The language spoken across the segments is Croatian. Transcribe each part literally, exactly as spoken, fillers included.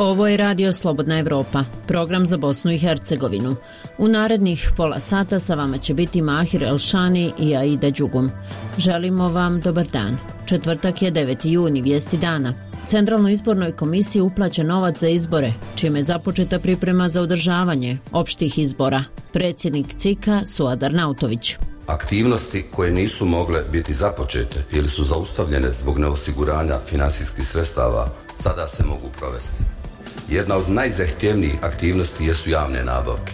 Ovo je Radio Slobodna Evropa, program za Bosnu i Hercegovinu. U narednih pola sata sa vama će biti Mahir Elšani i Aida Đugum. Želimo vam dobar dan. Četvrtak je deveti juni, vijesti dana. Centralnoj izbornoj komisiji uplaćen novac za izbore, čime je započeta priprema za održavanje opštih izbora. Predsjednik C I K-a Suad Arnautović. Aktivnosti koje nisu mogle biti započete ili su zaustavljene zbog neosiguranja finansijskih sredstava sada se mogu provesti. Jedna od najzahtjevnijih aktivnosti jesu javne nabavke.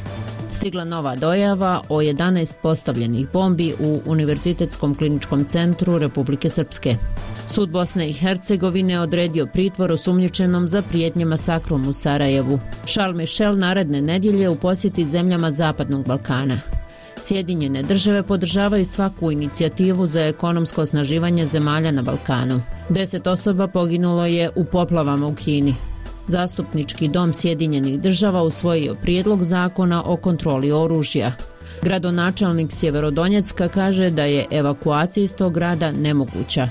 Stigla nova dojava o jedanaest postavljenih bombi u Univerzitetskom kliničkom centru Republike Srpske. Sud Bosne i Hercegovine odredio pritvor osumnjičenom za prijetnje masakrom u Sarajevu. Charles Michel naredne nedjelje u posjeti zemljama Zapadnog Balkana. Sjedinjene države podržavaju svaku inicijativu za ekonomsko osnaživanje zemalja na Balkanu. Deset osoba poginulo je u poplavama u Kini. Zastupnički dom Sjedinjenih država usvojio prijedlog zakona o kontroli oružja. Gradonačelnik Sjeverodonjecka kaže da je evakuacija iz tog grada nemoguća.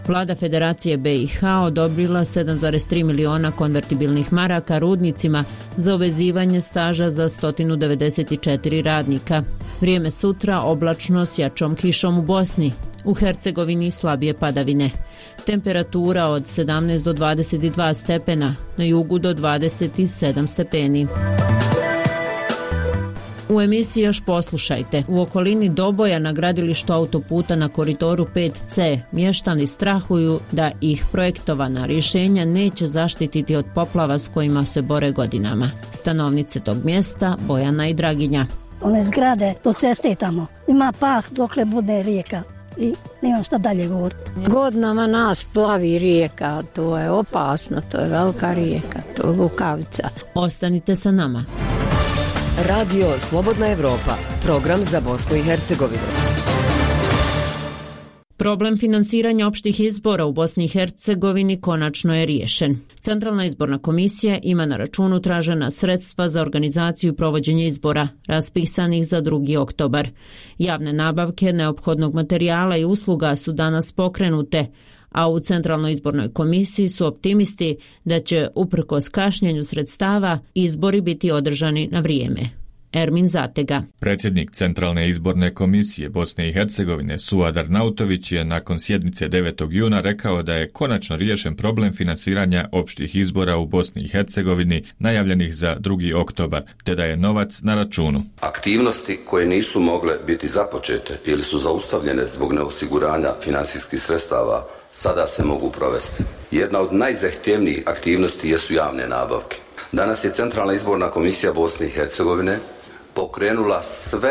Vlada Federacije B i H odobrila sedam zarez tri miliona konvertibilnih maraka rudnicima za uvezivanje staža za sto devedeset četiri radnika. Vrijeme sutra oblačno s jačom kišom u Bosni. U Hercegovini slabije padavine. Temperatura od sedamnaest do dvadeset dva stepena, na jugu do dvadeset sedam stepeni. U emisiji još poslušajte. U okolini Doboja na gradilištu autoputa na koridoru pet C mještani strahuju da ih projektovana rješenja neće zaštititi od poplava s kojima se bore godinama. Stanovnice tog mjesta Bojana i Draginja. One zgrade do ceste tamo. Ima pah dokle bude rijeka. I nemam šta dalje govoriti. Godinama nas plavi rijeka, to je opasno, to je velika rijeka, to je Lukavica. Ostanite sa nama. Radio Slobodna Evropa, program za Bosnu i Hercegovinu. Problem finansiranja opštih izbora u Bosni i Hercegovini konačno je riješen. Centralna izborna komisija ima na računu tražena sredstva za organizaciju i provođenje izbora, raspisanih za drugi oktobar. Javne nabavke neophodnog materijala i usluga su danas pokrenute, a u Centralnoj izbornoj komisiji su optimisti da će, uprkos kašnjenju sredstava, izbori biti održani na vrijeme. Ermin Zatega. Predsjednik Centralne izborne komisije Bosne i Hercegovine Suad Arnautović je nakon sjednice devetog juna rekao da je konačno riješen problem finansiranja opštih izbora u Bosni i Hercegovini najavljenih za drugi oktobar, te da je novac na računu. Aktivnosti koje nisu mogle biti započete ili su zaustavljene zbog neosiguranja finansijskih sredstava sada se mogu provesti. Jedna od najzahtjevnijih aktivnosti jesu javne nabavke. Danas je Centralna izborna komisija Bosne i Hercegovine pokrenula sve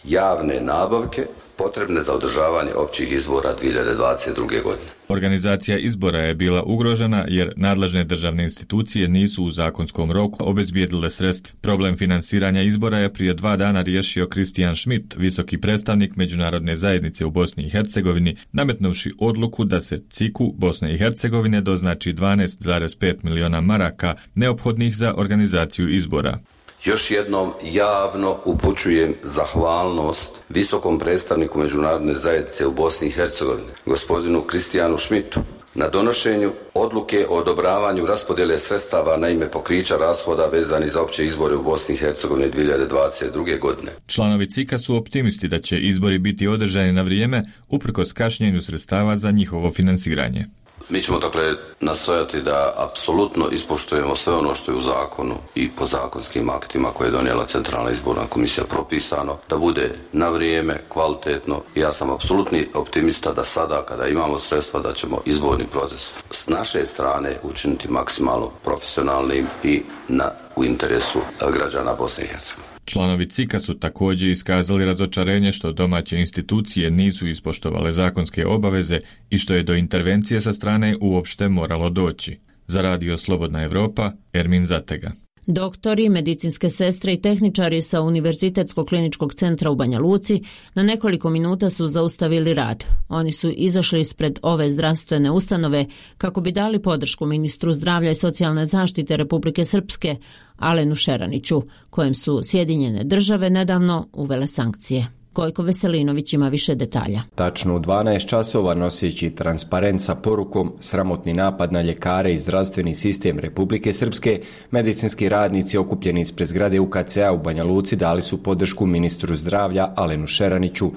javne nabavke potrebne za održavanje općih izbora dvije hiljade dvadeset druge. godine. Organizacija izbora je bila ugrožena jer nadležne državne institucije nisu u zakonskom roku obezbijedile sredstva. Problem finansiranja izbora je prije dva dana riješio Kristijan Schmidt, visoki predstavnik međunarodne zajednice u Bosni i Hercegovini, nametnuvši odluku da se C I K-u Bosne i Hercegovine doznači dvanaest zarez pet miliona maraka neophodnih za organizaciju izbora. Još jednom javno upućujem zahvalnost visokom predstavniku međunarodne zajednice u Bosni i Hercegovini, gospodinu Kristijanu Schmidtu, na donošenju odluke o odobravanju raspodjele sredstava na ime pokrića rashoda vezani za opće izbore u Bosni i Hercegovini dvije hiljade dvadeset druge. godine. Članovi C I K-a su optimisti da će izbori biti održani na vrijeme uprkos kašnjenju sredstava za njihovo finansiranje. Mi ćemo dakle nastojati da apsolutno ispoštujemo sve ono što je u zakonu i po zakonskim aktima koje je donijela Centralna izborna komisija propisano, da bude na vrijeme, kvalitetno. Ja sam apsolutni optimista da sada kada imamo sredstva da ćemo izborni proces s naše strane učiniti maksimalno profesionalnim i na, u interesu građana Bosne i Hercegovine. Članovi C I K-a su također iskazali razočarenje što domaće institucije nisu ispoštovale zakonske obaveze i što je do intervencije sa strane uopšte moralo doći. Za Radio Slobodna Evropa, Ermin Zatega. Doktori, medicinske sestre i tehničari sa Univerzitetskog kliničkog centra u Banja Luci na nekoliko minuta su zaustavili rad. Oni su izašli ispred ove zdravstvene ustanove kako bi dali podršku ministru zdravlja i socijalne zaštite Republike Srpske, Alenu Šeraniću, kojem su Sjedinjene države nedavno uvele sankcije. Gojko Veselinović ima više detalja. Tačno u dvanaest časova noseći transparent sa porukom "Sramotni napad na ljekare i zdravstveni sistem Republike Srpske", medicinski radnici okupljeni ispred zgrade U K C-a u Banja Luci dali su podršku ministru zdravlja Alenu Šeraniću.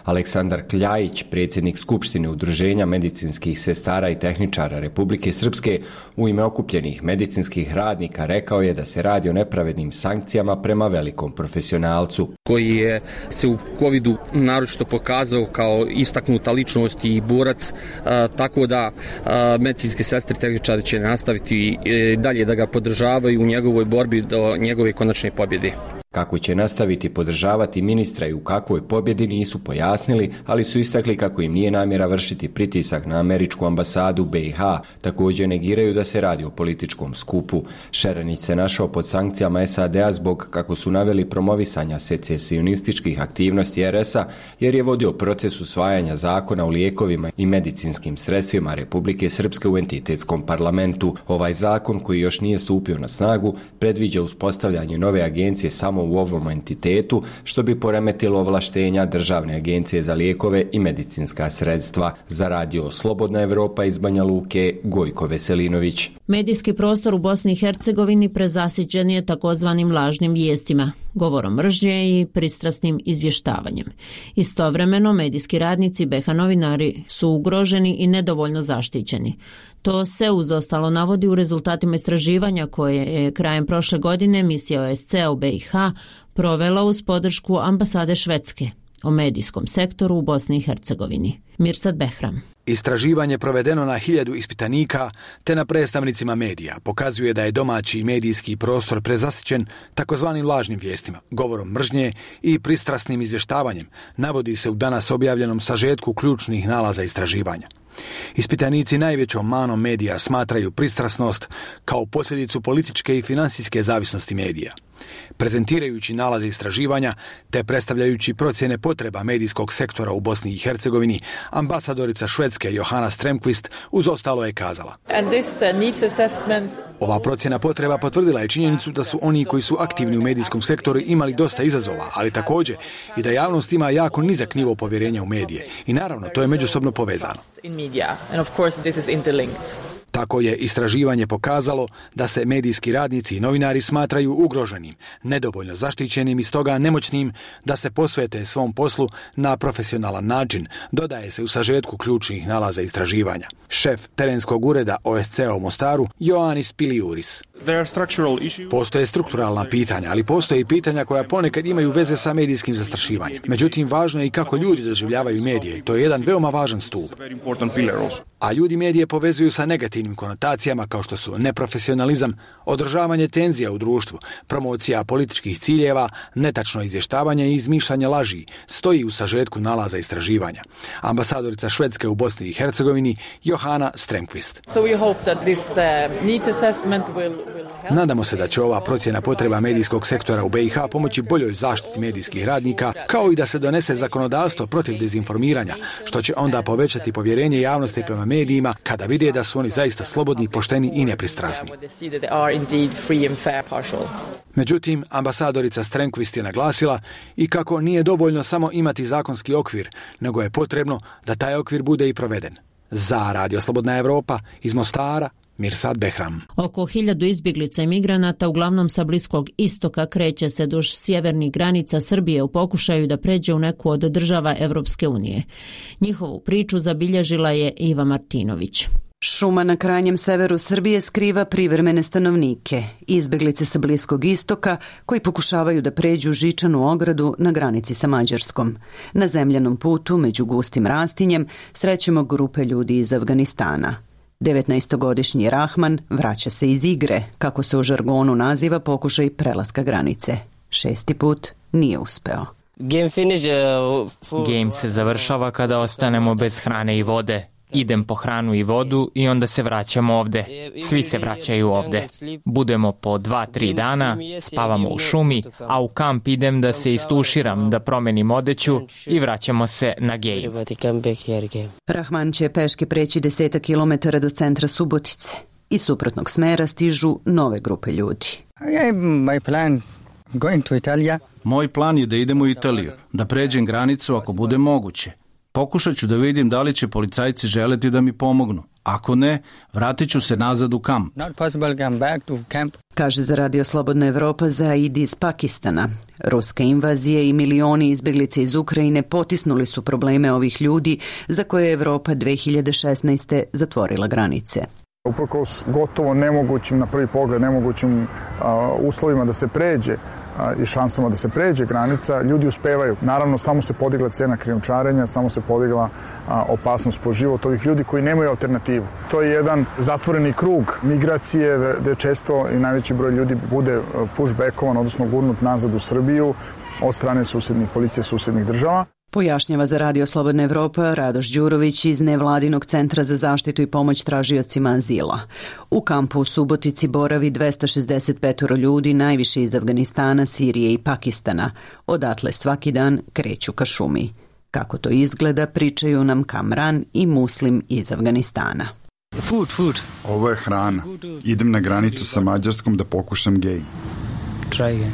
Aleksandar Kljajić, predsjednik Skupštine Udruženja medicinskih sestara i tehničara Republike Srpske, u ime okupljenih medicinskih radnika rekao je da se radi o nepravednim sankcijama prema velikom profesionalcu. Koji je se u covidu naročito pokazao kao istaknuta ličnost i borac, a, tako da a, medicinske sestre i tehničari će nastaviti e, dalje da ga podržavaju u njegovoj borbi do njegove konačne pobjede. Kako će nastaviti podržavati ministra i u kakvoj pobjedi nisu pojasnili, ali su istakli kako im nije namjera vršiti pritisak na američku ambasadu B i H. Također negiraju da se radi o političkom skupu. Šeranić se našao pod sankcijama S A D-a zbog, kako su naveli, promovisanja secesionističkih aktivnosti R S-a, jer je vodio proces usvajanja zakona o lijekovima i medicinskim sredstvima Republike Srpske u entitetskom parlamentu. Ovaj zakon, koji još nije stupio na snagu, predviđa uspostavljanje nove agencije samo u ovom entitetu, što bi poremetilo ovlaštenja Državne agencije za lijekove i medicinska sredstva. Za radio Slobodna Evropa iz Banja Luke, Gojko Veselinović. Medijski prostor u Bosni i Hercegovini prezasićen je takozvanim lažnim vijestima, govorom mržnje i pristrasnim izvještavanjem. Istovremeno, medijski radnici B H novinari su ugroženi i nedovoljno zaštićeni. To se uz ostalo navodi u rezultatima istraživanja koje je krajem prošle godine misija O S C-a u B i H provela uz podršku ambasade Švedske o medijskom sektoru u Bosni i Hercegovini. Mirsad Behram. Istraživanje provedeno na hiljadu ispitanika te na predstavnicima medija pokazuje da je domaći medijski prostor prezasićen takozvanim lažnim vijestima, govorom mržnje i pristrasnim izvještavanjem, navodi se u danas objavljenom sažetku ključnih nalaza istraživanja. Ispitanici najvećom manom medija smatraju pristrasnost kao posljedicu političke i financijske zavisnosti medija. Prezentirajući nalaze istraživanja te predstavljajući procjene potreba medijskog sektora u Bosni i Hercegovini, ambasadorica Švedske Johanna Strömquist uz ostalo je kazala: Ova procjena potreba potvrdila je činjenicu da su oni koji su aktivni u medijskom sektoru imali dosta izazova, ali također i da javnost ima jako nizak nivo povjerenja u medije. I naravno, to je međusobno povezano. Tako je istraživanje pokazalo da se medijski radnici i novinari smatraju ugroženim, nedovoljno zaštićenim i stoga nemoćnim da se posvete svom poslu na profesionalan način, dodaje se u sažetku ključnih nalaza istraživanja. Šef terenskog ureda O S C-a u Mostaru, Ioannis Piliuris. Postoje strukturalna pitanja, ali postoje i pitanja koja ponekad imaju veze sa medijskim zastrašivanjem. Međutim, važno je i kako ljudi doživljavaju medije. To je jedan veoma važan stup. A ljudi medije povezuju sa negativnim konotacijama kao što su neprofesionalizam, održavanje tenzija u društvu, promocija političkih ciljeva, netačno izvještavanje i izmišljanje laži, stoji u sažetku nalaza istraživanja. Ambasadorica Švedske u Bosni i Hercegovini, Johanna Strömquist. Nadamo se da će ova procjena potreba medijskog sektora u B i H pomoći boljoj zaštiti medijskih radnika, kao i da se donese zakonodavstvo protiv dezinformiranja, što će onda povećati povjerenje javnosti prema medijima kada vide da su oni zaista slobodni, pošteni i nepristrasni. Međutim, ambasadorica Strömquist je naglasila i kako nije dovoljno samo imati zakonski okvir, nego je potrebno da taj okvir bude i proveden. Za Radio Slobodna Evropa iz Mostara, Mirsad Behram. Oko hiljadu izbjeglica i migranata, uglavnom sa Bliskog istoka, kreće se duž sjevernih granica Srbije u pokušaju da pređe u neku od država Evropske unije. Njihovu priču zabilježila je Iva Martinović. Šuma na krajnjem severu Srbije skriva privremene stanovnike, izbjeglice sa Bliskog istoka koji pokušavaju da pređu žičanu ogradu na granici sa Mađarskom. Na zemljanom putu među gustim rastinjem srećemo grupe ljudi iz Afganistana. devetnaestogodišnji Rahman vraća se iz igre, kako se u žargonu naziva pokušaj prelaska granice. Šesti put nije uspeo. Game se završava kada ostanemo bez hrane i vode. Idem po hranu i vodu i onda se vraćamo ovde. Svi se vraćaju ovde. Budemo po dva, tri dana, spavamo u šumi, a u kamp idem da se istuširam, da promenim odeću i vraćamo se na Game. Rahman će peške preći desetak kilometara do centra Subotice. Iz suprotnog smera stižu nove grupe ljudi. going to Italia. Moj plan je da idem u Italiju, da pređem granicu ako bude moguće. Pokušat ću da vidim da li će policajci želeti da mi pomognu. Ako ne, vratit ću se nazad u kamp. Not possible come back to camp. Kaže za Radio Slobodna Evropa Zaid iz Pakistana. Ruske invazije i milioni izbjeglice iz Ukrajine potisnuli su probleme ovih ljudi za koje je Evropa dve hiljade šesnaeste. zatvorila granice. Uprkos gotovo nemogućim, na prvi pogled nemogućim a, uslovima da se pređe a, i šansama da se pređe granica, ljudi uspevaju. Naravno, samo se podigla cena krijumčarenja, samo se podigla a, opasnost po život ovih ljudi koji nemaju alternativu. To je jedan zatvoreni krug migracije gde često i najveći broj ljudi bude pushbackovan, odnosno gurnut nazad u Srbiju od strane susjednih policije susjednih država. Pojašnjava za Radio Slobodna Evropa Radoš Đurović iz Nevladinog centra za zaštitu i pomoć tražiocima azila. U kampu u Subotici boravi dvesta šezdeset pet ljudi, najviše iz Afganistana, Sirije i Pakistana. Odatle svaki dan kreću ka šumi. Kako to izgleda, pričaju nam Kamran i Muslim iz Afganistana. Food, food. Ovo je hrana. Idem na granicu sa Mađarskom da pokušam gej. Try again.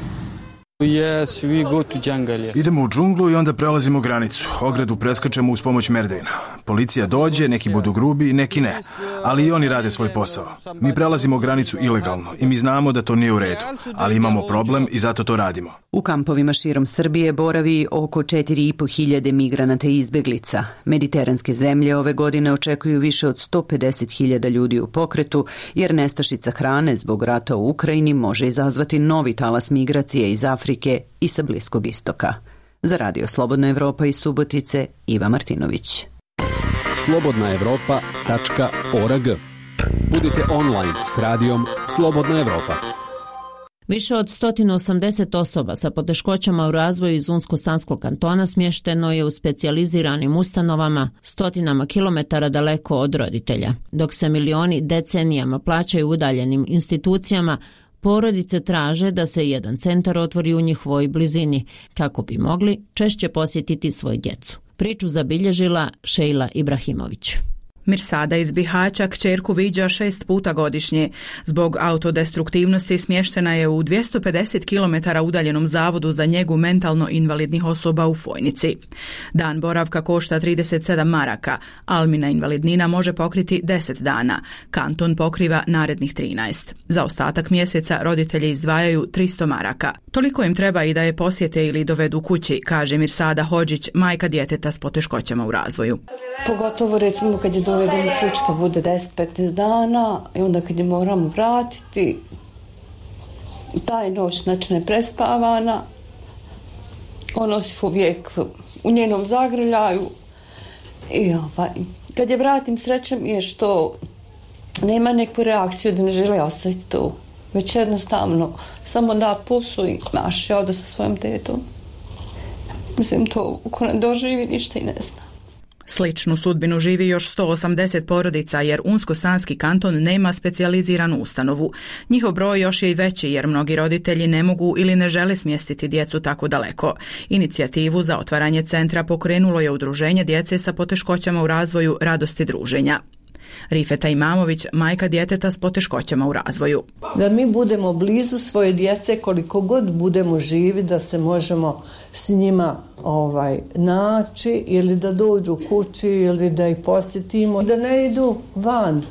Yes, we go to jungle. Idemo u džunglu i onda prelazimo granicu. Ogradu preskačemo uz pomoć merdejna. Policija dođe, neki budu grubi, neki ne. Ali i oni rade svoj posao. Mi prelazimo granicu ilegalno i mi znamo da to nije u redu. Ali imamo problem i zato to radimo. U kampovima širom Srbije boravi oko četiri i po hiljade migranata i izbeglica. Mediteranske zemlje ove godine očekuju više od sto pedeset hiljada ljudi u pokretu, jer nestašica hrane zbog rata u Ukrajini može izazvati novi talas migracije iz Afrike i sa Bliskog istoka. Za Radio Slobodna Evropa iz Subotice, Iva Martinović. slobodna evropa tačka org. Budite online s radijom Slobodna Evropa. Više od sto osamdeset osoba sa poteškoćama u razvoju iz Unsko-Sanskog kantona smješteno je u specijaliziranim ustanovama stotinama kilometara daleko od roditelja. Dok se milioni decenijama plaćaju udaljenim institucijama, porodice traže da se jedan centar otvori u njihovoj blizini, kako bi mogli češće posjetiti svoju djecu. Priču zabilježila Šejla Ibrahimović. Mirsada iz Bihaća kćerku viđa šest puta godišnje. Zbog autodestruktivnosti smještena je u dvjesto pedeset kilometara udaljenom zavodu za njegu mentalno invalidnih osoba u Fojnici. Dan boravka košta trideset sedam maraka, Almina invalidnina može pokriti deset dana. Kanton pokriva narednih trinaest. Za ostatak mjeseca roditelji izdvajaju tristo maraka. Toliko im treba i da je posjete ili dovedu kući, kaže Mirsada Hodžić, majka djeteta s poteškoćama u razvoju. Pogotovo recimo kad je dovedemo kući pa bude deset do petnaest dana i onda kad je moramo vratiti, taj noć znači neprespavana, ono si uvijek u njenom zagrljaju i ovaj, kad je vratim srećem je što nema neku reakciju da ne žele ostati tu, već jednostavno samo da pusu i maši ovdje sa svojom tetom. Mislim, to uko ne doživi ništa i ne zna. Sličnu sudbinu živi još sto osamdeset porodica jer Unsko-Sanski kanton nema specijaliziranu ustanovu. Njihov broj još je i veći jer mnogi roditelji ne mogu ili ne žele smjestiti djecu tako daleko. Inicijativu za otvaranje centra pokrenulo je udruženje djece sa poteškoćama u razvoju Radosti druženja. Rifeta Imamović, majka djeteta s poteškoćama u razvoju. Da mi budemo blizu svoje djece koliko god budemo živi, da se možemo s njima ovaj, naći ili da dođu kući ili da ih posjetimo, da ne idu van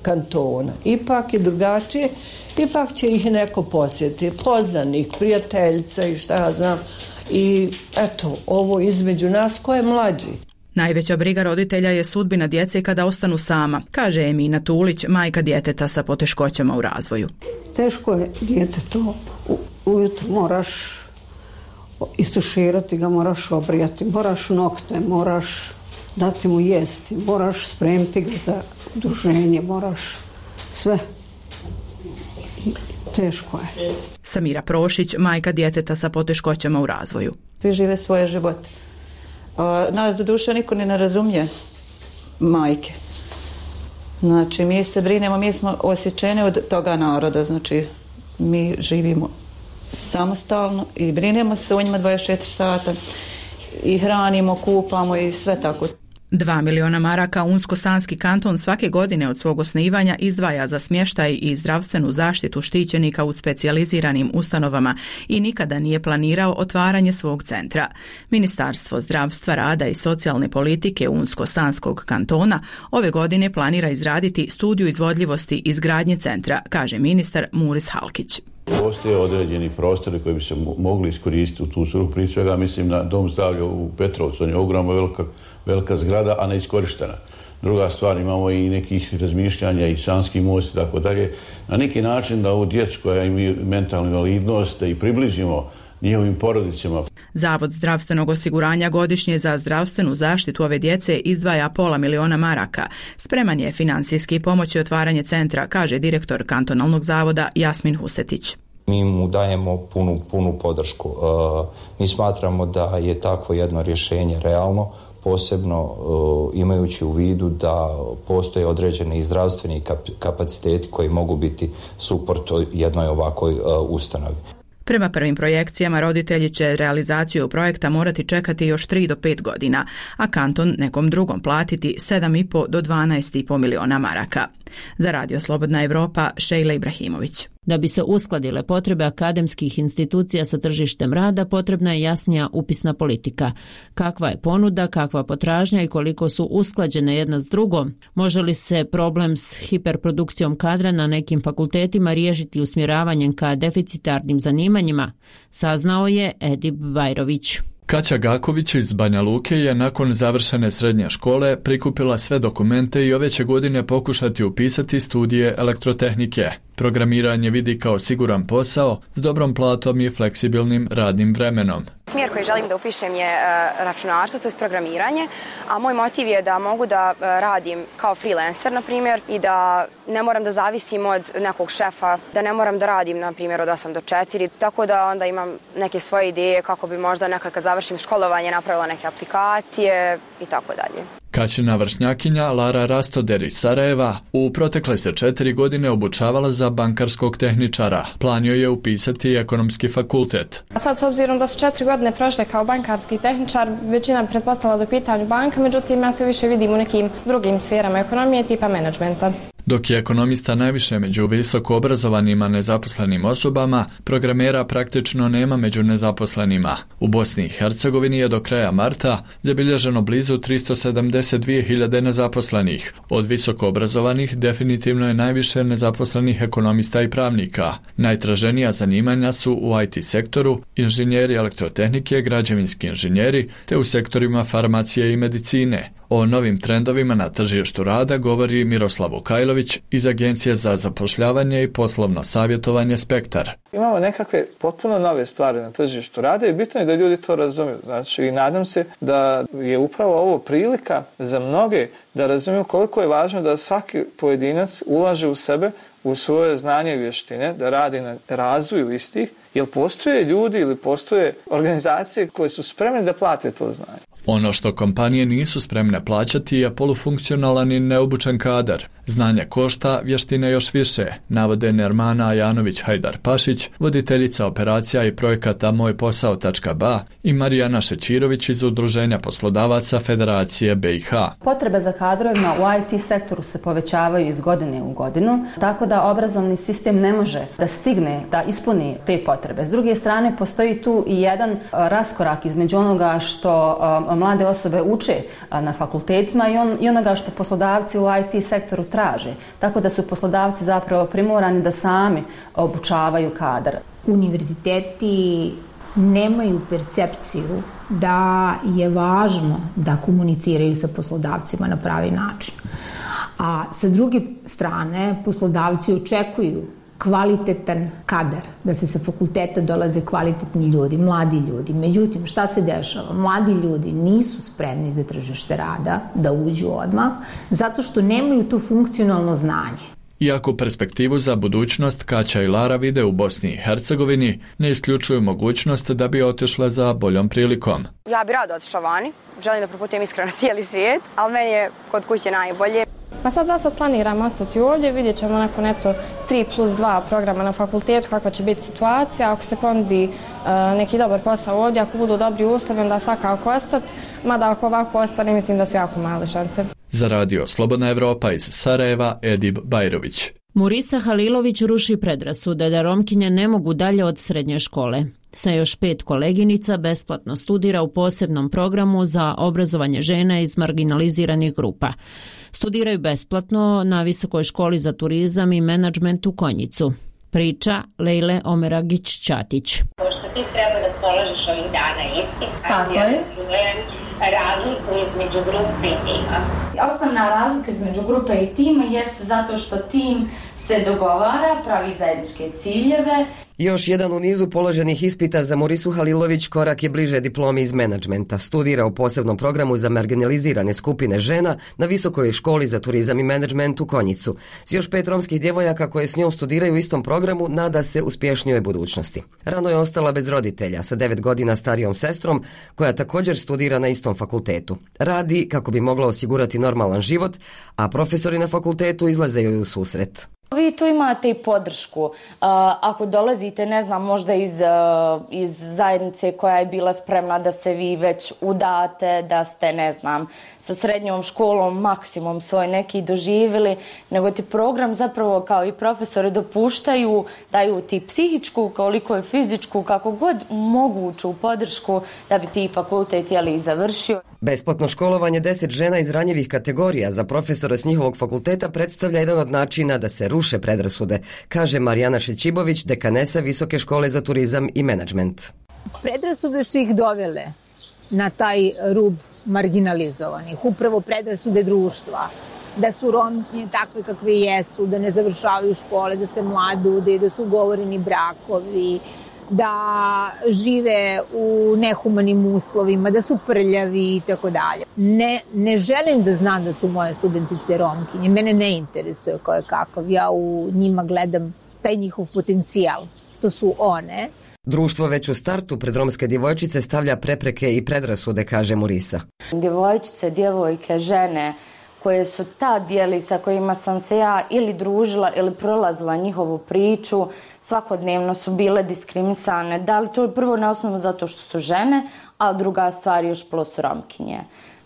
kantona. Ipak je drugačije, ipak će ih neko posjetiti, poznanik, prijateljica i šta ja znam. I eto, ovo između nas ko je mlađi. Najveća briga roditelja je sudbina djece kada ostanu sama, kaže Emina Tulić, majka djeteta sa poteškoćama u razvoju. Teško je dijete to. Ujutro moraš istuširati ga, moraš obrijati, moraš nokte, moraš dati mu jesti, moraš spremiti ga za druženje, moraš sve. Teško je. Samira Prošić, majka djeteta sa poteškoćama u razvoju. Svi žive svoje živote. Nas do duše niko ne razumije, majke. Znači, mi se brinemo, mi smo osjećene od toga naroda, znači, mi živimo samostalno i brinemo se o njima dvadeset četiri sata i hranimo, kupamo i sve tako. Dva miliona maraka Unsko-Sanski kanton svake godine od svog osnivanja izdvaja za smještaj i zdravstvenu zaštitu štićenika u specijaliziranim ustanovama i nikada nije planirao otvaranje svog centra. Ministarstvo zdravstva, rada i socijalne politike Unsko-Sanskog kantona ove godine planira izraditi studiju izvodljivosti izgradnje centra, kaže ministar Muris Halkić. Postoje određeni prostori koji bi se mogli iskoristiti u tu svrhu, prije svega mislim na dom zdravlja u Petrovcu, on je ogromna velika, velika zgrada, a neiskorištena. Druga stvar, imamo i nekih razmišljanja i Sanski most i tako dalje. Na neki način da ovu djecu koja imaju mentalnu invalidnost da i približimo njihovim porodicama. Zavod zdravstvenog osiguranja godišnje za zdravstvenu zaštitu ove djece izdvaja pola miliona maraka. Spreman je finansijski pomoći otvaranje centra, kaže direktor kantonalnog zavoda Jasmin Husetić. Mi mu dajemo punu, punu podršku. E, mi smatramo da je takvo jedno rješenje realno, posebno e, imajući u vidu da postoje određeni i zdravstveni kapaciteti koji mogu biti suport jednoj ovakvoj e, ustanovi. Prema prvim projekcijama roditelji će realizaciju projekta morati čekati još tri do pet godina, a kanton nekom drugom platiti sedam i po do dvanaest i po miliona maraka. Za Radio Slobodna Evropa, Šejla Ibrahimović. Da bi se uskladile potrebe akademskih institucija sa tržištem rada, potrebna je jasnija upisna politika. Kakva je ponuda, kakva potražnja i koliko su usklađene jedna s drugom? Može li se problem s hiperprodukcijom kadra na nekim fakultetima riješiti usmjeravanjem ka deficitarnim zanimanjima? Saznao je Edip Bajrović. Kaća Gaković iz Banja Luke je nakon završene srednje škole prikupila sve dokumente i ove će godine pokušati upisati studije elektrotehnike. Programiranje vidi kao siguran posao s dobrom platom i fleksibilnim radnim vremenom. Smjer koji želim da upišem je računarstvo, to je programiranje, a moj motiv je da mogu da radim kao freelancer, na primjer, i da ne moram da zavisim od nekog šefa, da ne moram da radim, na primjer, od osam do četiri, tako da onda imam neke svoje ideje kako bi možda nekad kad završim školovanje napravila neke aplikacije i tako dalje. Kaćina vršnjakinja Lara Rastoder iz Sarajeva u protekle se četiri godine obučavala za bankarskog tehničara. Plan joj je upisati ekonomski fakultet. A sad, s obzirom da su četiri godine prošle kao bankarski tehničar, većina pretpostavila do pitanju banka, međutim ja se više vidim u nekim drugim sferama ekonomije tipa menadžmenta. Dok je ekonomista najviše među visoko obrazovanima nezaposlenim osobama, programera praktično nema među nezaposlenima. U Bosni i Hercegovini je do kraja marta zabilježeno blizu tristo sedamdeset dvije hiljade nezaposlenih. Od visoko obrazovanih definitivno je najviše nezaposlenih ekonomista i pravnika. Najtraženija zanimanja su u I T sektoru, inženjeri elektrotehnike, građevinski inženjeri, te u sektorima farmacije i medicine. O novim trendovima na tržištu rada govori Miroslav Vukajlović iz Agencije za zapošljavanje i poslovno savjetovanje Spektar. Imamo nekakve potpuno nove stvari na tržištu rada i bitno je da ljudi to razumiju. Znači, nadam se da je upravo ovo prilika za mnoge da razumiju koliko je važno da svaki pojedinac ulaže u sebe, u svoje znanje i vještine, da radi na razvoju istih, jer postoje ljudi ili postoje organizacije koje su spremne da plate to znanje. Ono što kompanije nisu spremne plaćati je polufunkcionalan i neobučen kadar. Znanje košta, vještine još više, navode Nermana Ajanović-Hajdar-Pašić, voditeljica operacija i projekata moj posao tačka ba i Marijana Šećirović iz Udruženja poslodavaca Federacije B i H. Potrebe za kadrovima u I T sektoru se povećavaju iz godine u godinu, tako da obrazovni sistem ne može da stigne da ispuni te potrebe. S druge strane, postoji tu i jedan raskorak između onoga što mlade osobe uče na fakultetima i, on, i onoga što poslodavci u I T sektoru traže. Tako da su poslodavci zapravo primorani da sami obučavaju kadar. Univerziteti nemaju percepciju da je važno da komuniciraju sa poslodavcima na pravi način. A sa druge strane, poslodavci očekuju kvalitetan kadar, da se sa fakulteta dolaze kvalitetni ljudi, mladi ljudi. Međutim, šta se dešava? Mladi ljudi nisu spremni za tržište rada da uđu odmah, zato što nemaju to funkcionalno znanje. Iako perspektivu za budućnost Kaća i Lara vide u Bosni i Hercegovini, ne isključuju mogućnost da bi otišle za boljom prilikom. Ja bi rado otišla vani, želim da proputujem iskreno cijeli svijet, ali meni je kod kuće najbolje. Pa sad za sad planiramo ostati ovdje, vidjet ćemo nakon eto tri plus dva programa na fakultetu kakva će biti situacija. Ako se ponudi uh, neki dobar posao ovdje, ako budu dobri uslovi, onda svakako ostati. Mada ako ovako ostane, mislim da su jako male šanse. Za radio Slobodna Evropa iz Sarajeva, Edib Bajrović. Murisa Halilović ruši predrasude da Romkinje ne mogu dalje od srednje škole. Sa još pet koleginica besplatno studira u posebnom programu za obrazovanje žena iz marginaliziranih grupa. Studiraju besplatno na Visokoj školi za turizam i menadžment u Konjicu. Priča Lejle Omeragić-Ćatić. Pošto ti treba da položiš ovih dana ispit, tako je. Razliku između grupe i tima. Osnovna razlika između grupe i tima jeste zato što tim se dogovara, pravi zajedničke ciljeve. Još jedan u nizu položenih ispita za Murisu Halilović korak je bliže diplomi iz menadžmenta. Studira u posebnom programu za marginalizirane skupine žena na Visokoj školi za turizam i menadžment u Konjicu. S još pet romskih djevojaka koje s njom studiraju u istom programu nada se uspješnijoj budućnosti. Rano je ostala bez roditelja sa devet godina starijom sestrom koja također studira na istom fakultetu. Radi kako bi mogla osigurati normalan život, a profesori na fakultetu izlaze joj u susret. Vi tu imate i podršku. Uh, ako dolazite, ne znam, možda iz, uh, iz zajednice koja je bila spremna da ste vi već udate, da ste, ne znam, sa srednjom školom maksimum svoj neki doživjeli, nego ti program zapravo kao i profesori dopuštaju, daju ti psihičku, koliko i fizičku, kako god moguću podršku da bi ti fakultet jeli završio. Besplatno školovanje deset žena iz ranjivih kategorija za profesora s njihovog fakulteta predstavlja jedan od načina da se ruše predrasude, kaže Marijana Šećibović, dekanesa Visoke škole za turizam i menadžment. Predrasude su ih dovele na taj rub marginalizovanih, upravo predrasude društva, da su Romkinje takve kakve jesu, da ne završavaju škole, da se mladude, da su ugovoreni brakovi, da žive u nehumanim uslovima, da su prljavi i tako dalje. Ne, ne želim da znam da su moje studentice Romkinje, mene ne interesuje ko je kakav, ja u njima gledam taj njihov potencijal, to su one. Društvo već u startu pred romske djevojčice stavlja prepreke i predrasude, kaže Murisa. Djevojčice, djevojke, žene koje su tad dijeli sa kojima sam se ja ili družila ili prolazila njihovu priču, svakodnevno su bile diskriminisane. Da li to je prvo na osnovu zato što su žene, a druga stvar još plus Romkinje.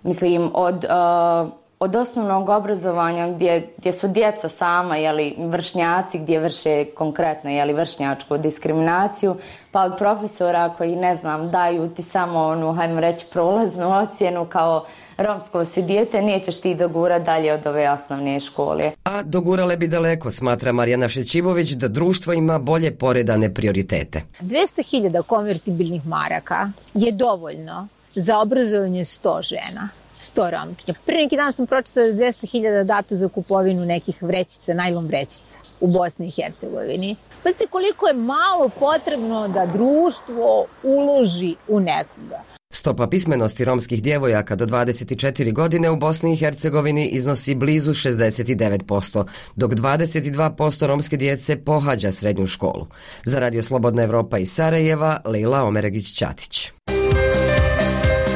Mislim, od, uh, od osnovnog obrazovanja gdje, gdje su djeca sama, jeli, vršnjaci, gdje vrše konkretno jeli, vršnjačku diskriminaciju, pa od profesora koji, ne znam, daju ti samo onu, hajmo reći, prolaznu ocjenu kao romsko si dijete, nećeš ti dogurati dalje od ove osnovne škole. A dogurale bi daleko, smatra Marijana Šećibović, da društvo ima bolje poredane prioritete. dvjesto hiljada konvertibilnih maraka je dovoljno za obrazovanje sto žena, sto Romkinja. Prije neki dan sam pročitala da dvjesto hiljada dato za kupovinu nekih vrećica, najlon vrećica u Bosni i Hercegovini. Pazite koliko je malo potrebno da društvo uloži u nekoga. Stopa pismenosti romskih djevojaka do dvadeset četiri godine u Bosni i Hercegovini iznosi blizu šezdeset devet posto, dok dvadeset dva posto romske djece pohađa srednju školu. Za Radio Slobodna Evropa iz Sarajeva, Lejla Omeragić-Ćatić.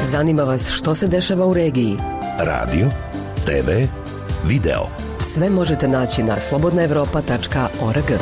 Zanima vas što se dešava u regiji? Radio, te ve, video. Sve možete naći na slobodna evropa tačka org.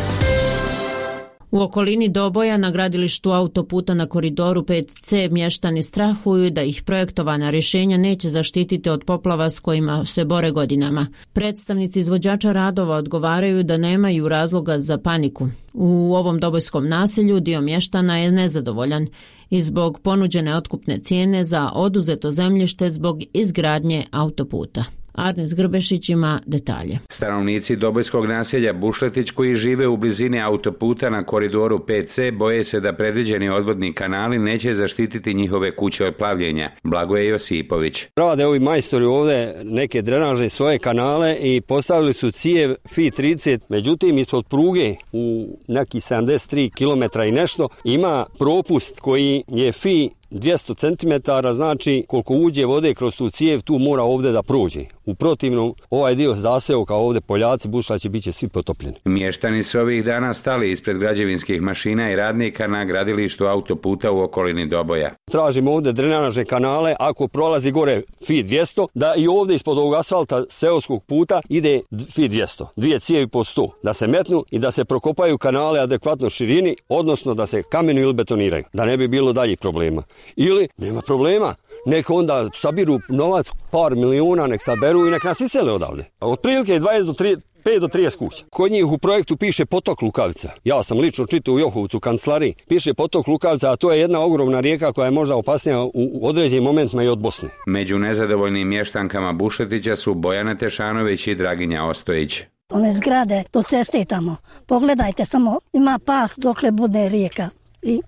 U okolini Doboja na gradilištu autoputa na koridoru pet ce mještani strahuju da ih projektovana rješenja neće zaštititi od poplava s kojima se bore godinama. Predstavnici izvođača radova odgovaraju da nemaju razloga za paniku. U ovom dobojskom naselju dio mještana je nezadovoljan i zbog ponuđene otkupne cijene za oduzeto zemljište zbog izgradnje autoputa. Arnes Grbešić ima detalje. Stanovnici dobojskog naselja Bušletić koji žive u blizini autoputa na koridoru pet ce boje se da predviđeni odvodni kanali neće zaštititi njihove kuće od plavljenja. Blagoje Josipović. Rade ovi majstori ovdje neke drenaže svoje kanale i postavili su cijev Fi trideset, međutim ispod pruge u neki sedamdeset tri kilometra i nešto ima propust koji je Fi dvjesto centimetara, znači koliko uđe vode kroz tu cijev, tu mora ovdje da prođe. U protivnom, ovaj dio zaseoka ovdje poljaci, bušlaći, bit će svi potopljeni. Mještani su ovih dana stali ispred građevinskih mašina i radnika na gradilištu autoputa u okolini Doboja. Tražimo ovdje drenažne kanale, ako prolazi gore Fi dvjesto, da i ovdje ispod ovog asfalta seoskog puta ide Fi dvjesto, dvije cijevi po sto, da se metnu i da se prokopaju kanale adekvatno širini, odnosno da se kamenu ili betoniraju, da ne bi bilo daljih problema. Ili, nema problema, nek onda sabiru novac, par milijuna, nek saberu i nek nas isele odavde. Otprilike dvadeset do trideset, pet do trideset kuća. Kod njih u projektu piše potok Lukavica. Ja sam lično čitao u Johovcu u kancelariji. Piše potok Lukavica, a to je jedna ogromna rijeka koja je možda opasnija u određenim momentima i od Bosne. Među nezadovoljnim mještankama Bušetića su Bojana Tešanović i Draginja Ostojić. One zgrade do ceste tamo. Pogledajte samo, ima pas dokle bude rijeka i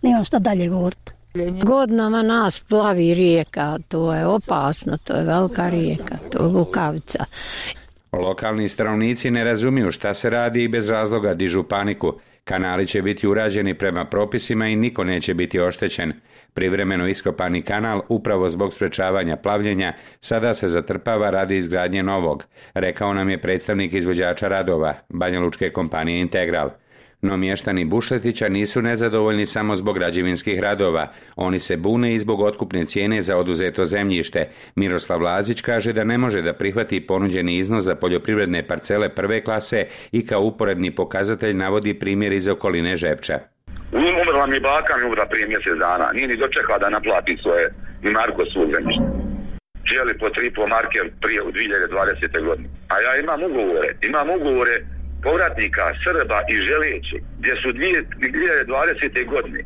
nemam šta dalje govoriti. Godinama nas plavi rijeka, to je opasno, to je velika rijeka, to je Lukavica. Lokalni stanovnici ne razumiju šta se radi i bez razloga dižu paniku. Kanali će biti urađeni prema propisima i niko neće biti oštećen. Privremeno iskopani kanal, upravo zbog sprečavanja plavljenja, sada se zatrpava radi izgradnje novog, rekao nam je predstavnik izvođača radova, banjalučke kompanije Integral. No mještani Bušetića nisu nezadovoljni samo zbog građevinskih radova. Oni se bune i zbog otkupne cijene za oduzeto zemljište. Miroslav Lazić kaže da ne može da prihvati ponuđeni iznos za poljoprivredne parcele prve klase i kao uporedni pokazatelj navodi primjer iz okoline Žepča. Umrla mi baka, mi umrla prije mjesec dana. Nije ni dočekala da naplati svoje i marko svog zemljišta. Želi po tri po marke prije u dvije hiljade dvadesete. godine. A ja imam ugovore, imam ugovore povratnika, Srba i Želeći, gdje su dvije hiljade dvadesete. godine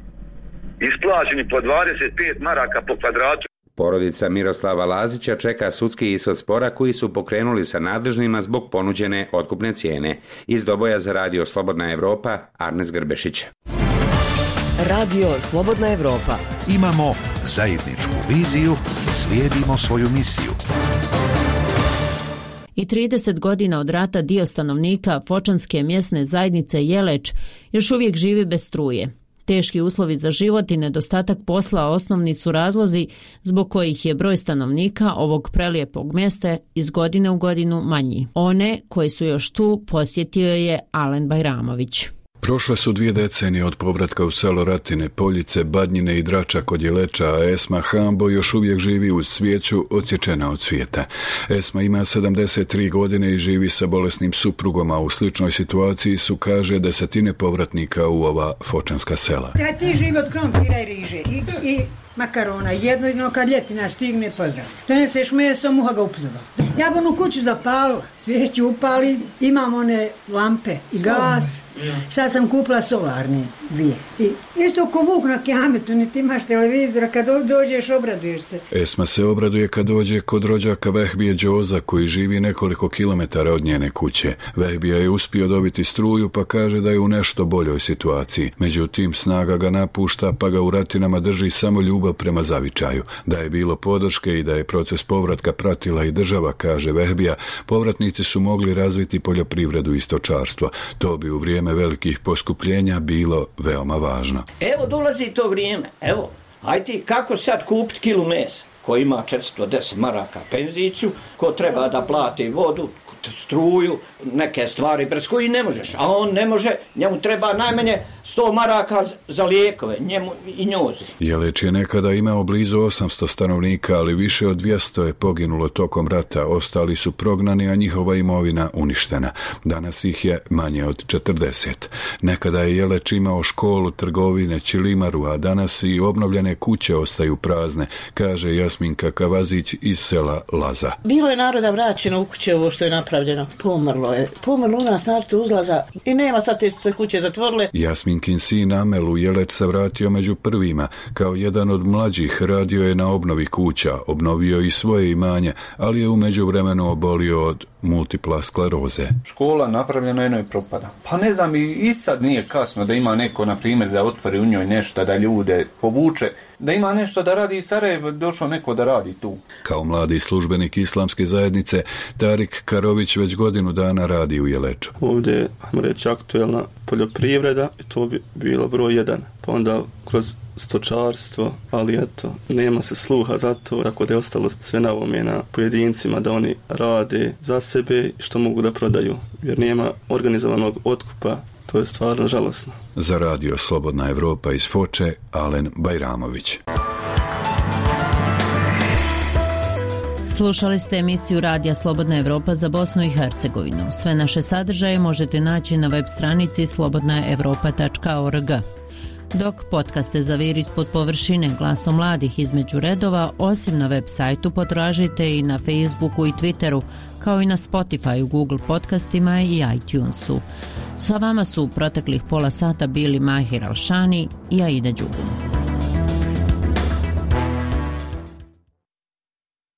isplaćeni po dvadeset pet maraka po kvadratu. Porodica Miroslava Lazića čeka sudski ishod spora koji su pokrenuli sa nadležnima zbog ponuđene otkupne cijene. Iz Doboja za radio Slobodna Evropa, Arnes Grbešić. Radio Slobodna Evropa. Imamo zajedničku viziju, slijedimo svoju misiju. I trideset godina od rata dio stanovnika Fočanske mjesne zajednice Jeleč još uvijek živi bez struje. Teški uslovi za život i nedostatak posla osnovni su razlozi zbog kojih je broj stanovnika ovog prelijepog mjesta iz godine u godinu manji. One koji su još tu posjetio je Alen Bajramović. Prošle su dvije decenije od povratka u selo Ratine, Poljice, Badnjine i Drača kod Jeleča, a Esma Hambo još uvijek živi uz svijeću odsječena od svijeta. Esma ima sedamdeset tri godine i živi sa bolesnim suprugom, a u sličnoj situaciji su, kaže, desetine povratnika u ova fočanska sela. Ja ti živi od krompira i riže i, i makarona, jedno jedno kad ljetina stigne pozdrav. Doneseš meso, muha ga upljuva. Ja bi onu kuću zapalila, svijeću upali, imam one lampe i gas. Sad sam kupila solarne dvije. I isto ko vuk na Kijametu, niti imaš televizora, kad dođeš obraduješ se. Esma se obraduje kad dođe kod rođaka Vehbije Đoza, koji živi nekoliko kilometara od njene kuće. Vehbija je uspio dobiti struju, pa kaže da je u nešto boljoj situaciji. Međutim, snaga ga napušta, pa ga u Ratinama drži samo ljubav prema zavičaju. Da je bilo podrške i da je proces povratka pratila i država, kaže Vehbija, povratnici su mogli razviti poljoprivredu i stočarstvo. To bi u vrijeme velikih poskupljenja bilo veoma važno. Evo dolazi to vrijeme, evo, ajde kako sad kupiti kilu mesa, ko ima četiristo deset maraka penziciju, ko treba da plati vodu, struju, neke stvari bez koji ne možeš, a on ne može, njemu treba najmanje sto maraka za lijekove, njemu i njozi. Jeleč je nekada imao blizu osamsto stanovnika, ali više od dvjesto je poginulo tokom rata, ostali su prognani, a njihova imovina uništena. Danas ih je manje od četrdeset. Nekada je Jeleč imao školu, trgovine, ćilimaru, a danas i obnovljene kuće ostaju prazne, kaže Jasminka Kavazić iz sela Laza. Bilo je naroda vraćeno u kuće ovo što je napravljeno. Pomrlo je. Pomrlo u nas narod uzlaza i nema sad te kuće zatvorile. Jasminkin sin Amel u Jeleč se vratio među prvima. Kao jedan od mlađih radio je na obnovi kuća, obnovio i svoje imanje, ali je u međuvremenu obolio od multipla skleroze. Škola napravljena jedno i propada. Pa ne znam, i sad nije kasno da ima neko, na primjer, da otvori u njoj nešto, da ljude povuče da ima nešto da radi i Sarajevo, došao neko da radi tu. Kao mladi službenik islamske zajednice, Tarik Karović već godinu dana radi u Jeleču. Ovdje je, ajmo reći, aktuelna poljoprivreda i to bi bilo broj jedan. Pa onda kroz stočarstvo, ali eto, nema se sluha za to, tako da je ostalo sve na ovome na pojedincima da oni rade za sebe što mogu da prodaju, jer nema organizovanog otkupa. To je stvarno žalosno. Za radio Slobodna Evropa iz Foče, Alen Bajramović. Slušali ste emisiju Radija Slobodna Evropa za Bosnu i Hercegovinu. Sve naše sadržaje možete naći na web stranici slobodna evropa tačka org. Dok podcaste Zaviri ispod površine glasom mladih između redova, osim na web sajtu potražite i na Facebooku i Twitteru, kao i na Spotify, Google podcastima i iTunesu. Sa vama su u proteklih pola sata bili Mahir Alšani i Aida Đugum.